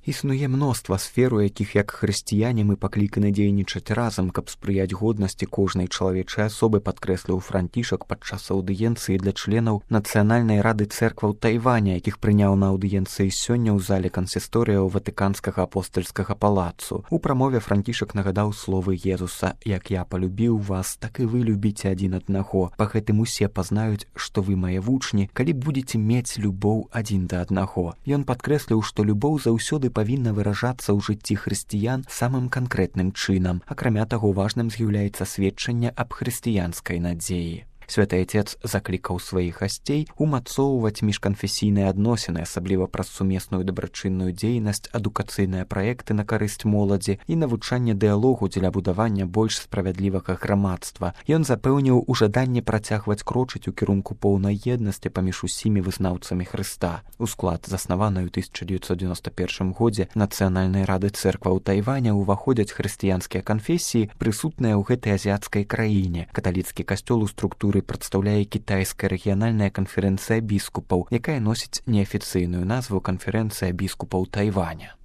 Існуе мноства сфер, у якіх як хрысціяне мы пакліканы дзейнічаць разам, каб спрыяць годнасці кожнай чалавечай асобы, падкрэсліў Францішак падчас аўдыенцыі для членаў Нацыянальнай рады цэркваў Тайваня, якіх прыняў на аўдыенцыі сёння ў зале кансісторыяў Ватыканскага апостальскага палацу. У прамове Францішак нагадаў словы Езуса: «Як я палюбіў вас, так і вы любіце адзін аднаго. Па гэтым усе пазнаюць, што вы мае вучні, калі будзеце мець любоў адзін да аднаго». Ён падкрэсліў, што любоў заўсёды павінна выражацца ў жыцці хрысціян самым канкрэтным чынам. Акрамя таго, важным з'яўляецца сведчанне аб хрысціянскай надзеі. Святы Отец заклікаў сваіх гасцей умацоўваць міжканфесійныя адносіны, асабліва праз сумесную дабрачынную дзейнасць, адукацыйныя праекты на карысць моладзі і навучанне дыялогу дзеля будавання больш справядлівага грамадства. Ён запэўніў у жаданні працягваць крочыць у кірунку поўнай еднасці паміж усімі вызнаўцамі Хрыста. У склад заснаванай у 1991 годзе Нацыянальнай рады цэркваў Тайваня ўваходзяць хрысціянскія канфесіі, прысутныя ў гэтай азіяцкай краіне. Каталіцкі касцёл у структуры прадстаўляе кітайская рэгіянальная канферэнцыя біскупаў, якая носіць неафіцыйную назву Канферэнцыя біскупаў Тайваня.